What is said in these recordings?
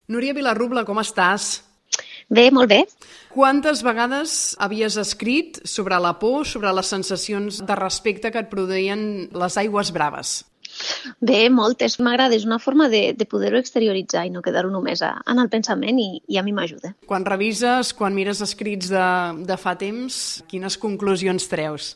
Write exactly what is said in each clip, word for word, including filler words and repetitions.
Núria Vilarrubla, com estàs? Bé, molt bé. Quantes vegades havies escrit sobre la por, sobre les sensacions de respecte que et produïen les aigües braves? Bé, moltes. M'agrada, és una forma de, de poder-ho exterioritzar i no quedar-ho només a, en el pensament i, i a mi m'ajuda. Quan revises, quan mires escrits de, de fa temps, quines conclusions treus?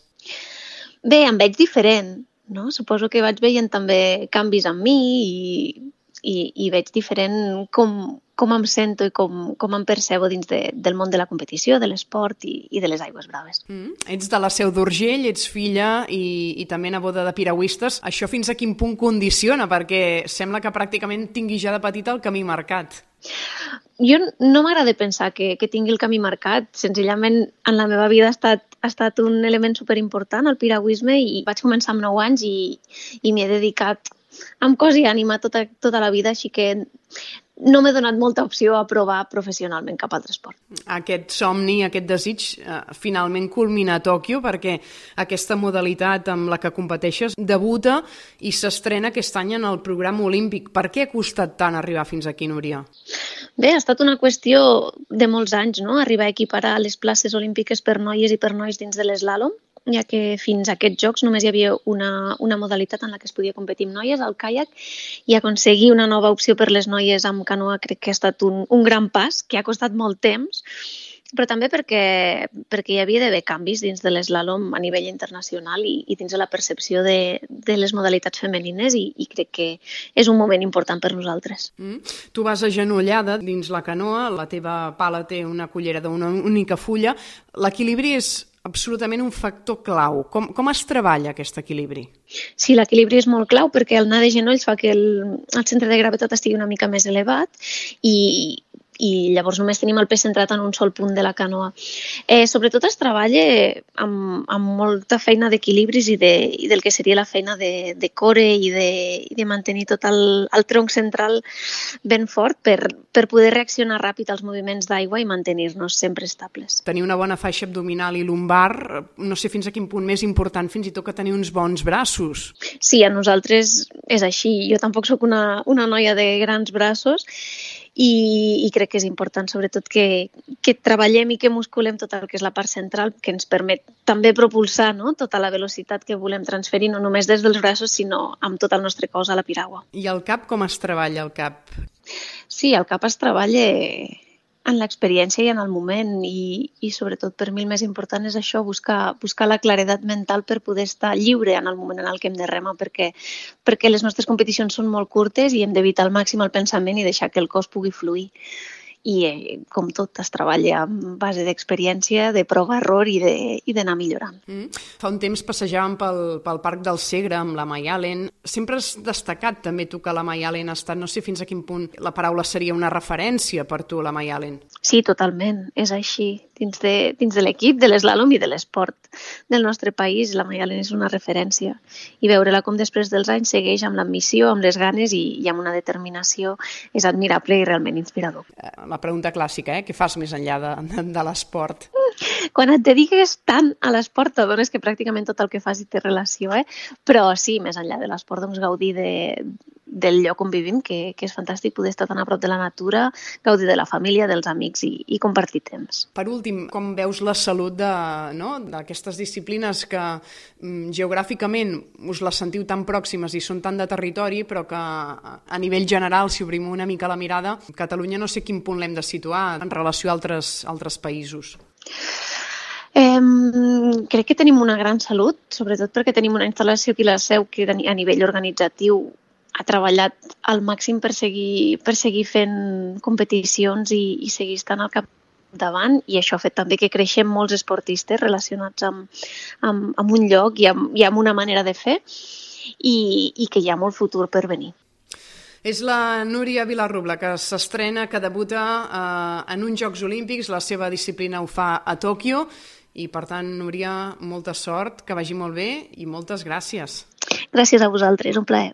Bé, em veig diferent, no? Suposo que vaig veient també canvis en mi i, i, i veig diferent com, com em sento i com, com em percebo dins de, del món de la competició, de l'esport i, i de les aigües braves. Mm. Ets de la Seu d'Urgell, ets filla i, i també neboda de piragüistes. Això fins a quin punt condiciona? Perquè sembla que pràcticament tingui ja de petita el camí marcat. Jo no m'agrada pensar que, que tingui el camí marcat. Senzillament en la meva vida ha estat, ha estat un element superimportant el piragüisme i vaig començar amb nou anys i, i m'hi he dedicat amb cos i ànima tota, tota la vida, així que no m'he donat molta opció a provar professionalment cap altre esport. Aquest somni, aquest desig, eh, finalment culmina a Tòquio perquè aquesta modalitat amb la que competeixes debuta i s'estrena aquest any en el programa olímpic. Per què ha costat tant arribar fins aquí, Núria? Bé, ha estat una qüestió de molts anys, no? Arribar a equiparar les places olímpiques per noies i per nois dins de l'eslàlom, ja que fins a aquests jocs només hi havia una, una modalitat en la que es podia competir amb noies, el caiac, i aconseguir una nova opció per les noies amb canoa crec que ha estat un, un gran pas, que ha costat molt temps, però també perquè, perquè hi havia d'haver canvis dins de l'eslàlom a nivell internacional i, i dins de la percepció de, de les modalitats femenines i, i crec que és un moment important per nosaltres. Mm. Tu vas agenollada dins la canoa, la teva pala té una cullera d'una única fulla. L'equilibri és absolutament un factor clau. Com, com es treballa aquest equilibri? Sí, l'equilibri és molt clau perquè el anar de genolls fa que el, el centre de gravetat estigui una mica més elevat i, i llavors només tenim el pes centrat en un sol punt de la canoa. Eh, sobretot es treballa amb, amb molta feina d'equilibris i, de, i del que seria la feina de, de core i de, i de mantenir tot el, el tronc central ben fort per, per poder reaccionar ràpid als moviments d'aigua i mantenir-nos sempre estables. Tenir una bona faixa abdominal i lumbar, no sé fins a quin punt més important, fins i tot que tenir uns bons braços. Sí, a nosaltres és així. Jo tampoc sóc una, una noia de grans braços i, i crec que és important, sobretot, que, que treballem i que musculem tot el que és la part central, que ens permet també propulsar, no?, tota la velocitat que volem transferir, no només des dels braços, sinó amb tot el nostre cos a la piragua. I el cap, com es treballa, el cap? Sí, el cap es treballa en l'experiència i en el moment i, i sobretot per mi el més important és això, buscar, buscar la claredat mental per poder estar lliure en el moment en el que hem de remar perquè, perquè les nostres competicions són molt curtes i hem d'evitar al màxim el pensament i deixar que el cos pugui fluir. I eh, com tot es treballa amb base d'experiència, de prova-error i d'anar millorant. Mm. Fa un temps passejàvem pel, pel Parc del Segre amb la Mayalen. Sempre has destacat també tu que la Mayalen ha estat, no sé fins a quin punt la paraula seria una referència per tu, la Mayalen. Sí, totalment, és així. Dins de, dins de l'equip, de l'eslàlom i de l'esport del nostre país, la Mayalen és una referència. I veure-la com després dels anys segueix amb l'ambició, amb les ganes i, i amb una determinació és admirable i realment inspirador. La pregunta clàssica, eh? Què fas més enllà de, de, de l'esport? Quan et dediques tant a l'esport t'adones que pràcticament tot el que fas hi té relació, eh? Però sí, més enllà de l'esport, doncs gaudir de, del lloc on vivim, que, que és fantàstic poder estar tan a prop de la natura, gaudir de la família, dels amics i, i compartir temps. Per últim, com veus la salut de, no, d'aquestes disciplines que mm, geogràficament us les sentiu tan pròximes i són tan de territori, però que a nivell general, si obrim una mica la mirada, Catalunya no sé quin punt l'hem de situar en relació a altres, altres països. Eh, crec que tenim una gran salut, sobretot perquè tenim una instal·lació aquí a la Seu que a nivell organitzatiu ha treballat al màxim per seguir, per seguir fent competicions i, i seguir estant al capdavant i això ha fet també que creixem molts esportistes relacionats amb, amb, amb un lloc i amb, i amb una manera de fer i, i que hi ha molt futur per venir. És la Núria Vilarrubla, que s'estrena, que debuta eh, en uns Jocs Olímpics, la seva disciplina ho fa a Tòquio, i per tant, Núria, molta sort, que vagi molt bé i moltes gràcies. Gràcies a vosaltres, un plaer.